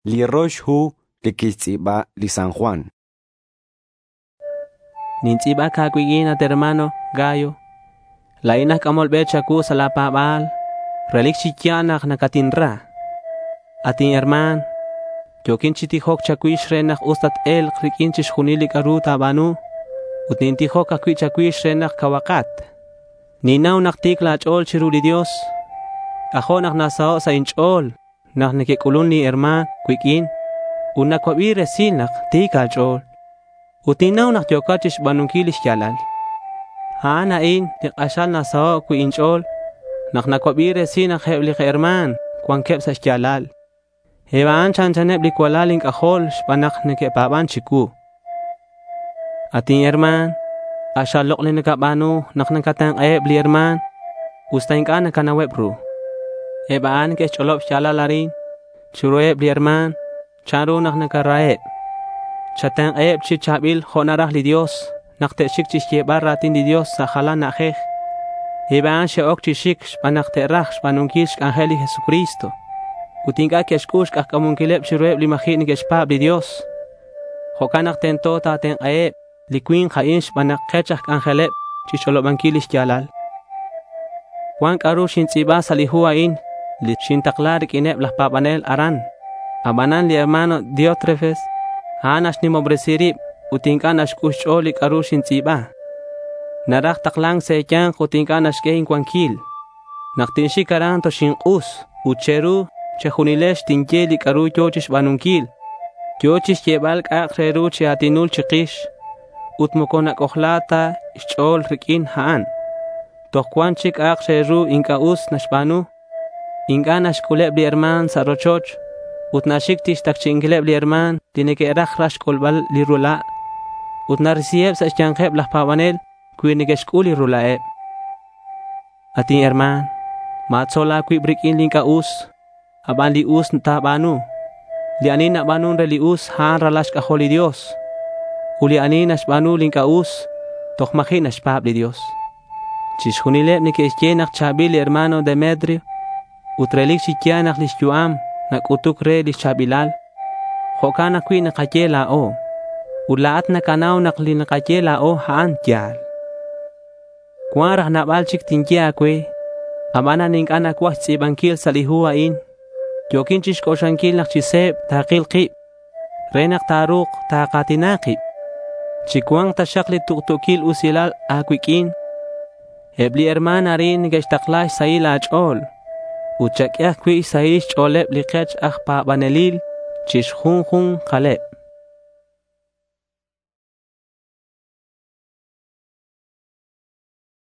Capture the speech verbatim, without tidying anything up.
Li rox hu li quixtz'i̱ba li San Juan. Nintz'i̱bac a̱cuiq'uin, at hermano Gayo. La̱in aj c'amol be cha̱cuu sa' la̱ pa̱ba̱l. Relic chi ya̱l nak nacatinra. At inherma̱n, yo̱quin chi tijoc cha̱cuix re nak us tat-e̱lk riq'uin chixjunil li c'a'ru ta̱ba̱nu. Ut nintijoc ajcui' cha̱cuix re nak cauhakat. Ninnau nak ti̱c la̱ ch'o̱l chiru li Dios. C'ajo' nak nasaho' sa' inch'o̱l nak neque'c'ulun li herma̱n cuiq'uin ut nacuabi resil nak ti̱c a̱ch'o̱l. Ut ninnau nak yo̱cat chixba̱nunquil li xya̱lal. A'an a'in li k'axal nasaho' cui' inch'o̱l nak nacuabi resil nak eb li herma̱n cuanqueb sa' xya̱lal. Eb a'an chanchaneb li cualal inc'ajol xban nak neque'pa̱ban chicuu. At inherma̱n, k'axal lok' li nacaba̱nu nak nacatenk'aheb li herma̱n usta inc'a' nacanauheb ru. Eb a'an neque'xch'olob xya̱lal arin chiruheb li herma̱n chanru nak nacaraheb. Chatenk'aheb chi cha̱bil jo' naraj li Dios nak te'xic chixyebal ra̱tin li Dios sa' jalan na'ajej. Eb a'an xe'oc chi xic xban nak te'raj xba̱nunquil xc'anjel li Jesucristo. Ut inc'a' que'xc'ul xk'ajca̱munquileb chiruheb li ma̱ji' neque'xpa̱b li Dios. Jo'can nak tento ta̱tenk'aheb li cui̱nk a'in xban nak kech aj c'anjeleb chixch'olobanquil li xya̱lal. Cuan c'a'ru xintz'i̱ba sa' li hu a'in li xintakla riq'uineb laj pa̱banel aran. Abanan li hermano Diótrefes, a'an naxnimobresi rib ut inc'a' naxc'ul xch'o̱l li c'a'ru xintz'i̱ba. Naraj takla̱nc sa' e̱ya̱nk ut inc'a' naxq'ue incuanquil. Nak tinxic aran toxink'us ut che̱ru che̱junilex tinye li c'a'ru yo̱ chixba̱nunquil. Yo̱ chixyebal c'a'ak re ru chi a̱tinul chikix ut moco nac'ojla ta xch'o̱l riq'uin a'an. Toj cuan chic c'a'ak re ru inc'a' us naxba̱nu. Inc'a' naxc'uleb li herma̱n sa' rochoch ut naxic chixtacchi'inquileb li herma̱n li neque'raj raj xc'ulbal li rula'. Ut narisiheb sa' xya̱nkeb laj pa̱banel cui neque'xc'ul li rula'eb. At inherma̱n, ma̱tzol a̱cuib riq'uin li inc'a' us, aban li us ta̱ba̱nu. Li ani naba̱nun re li us, a'an ralal xc'ajol li Dios. Ut li ani naxba̱nu li inc'a' us, toj ma̱ji' naxpa̱b li Dios. Chixjunileb neque'xye nak cha̱bil li hermano Demetrio ut relic chi ya̱l nak lix yu'am nac'utuc re lix cha̱bilal. Jo'can ajcui' nakaye la̱o. Ut la̱at nacanau nak li nakaye la̱o, a'an ya̱l. Cuan raj nabal chic tinye a̱cue, abanan inc'a' nacuaj xtz'i̱banquil sa' li hu a'in. Yo̱quin chixc'oxlanquil nak chi se̱b takil kib re nak ta̱ru̱k taka̱tina kib. Chicua̱nk taxak li tuktu̱quil usilal a̱cuiq'uin. Eb li herma̱n arin neque'xtakla xsahil a̱ch'o̱l. Ut chaq'ue ajcui' xsahil xch'o̱leb li kech aj pa̱banelil chi xjunju̱nkaleb.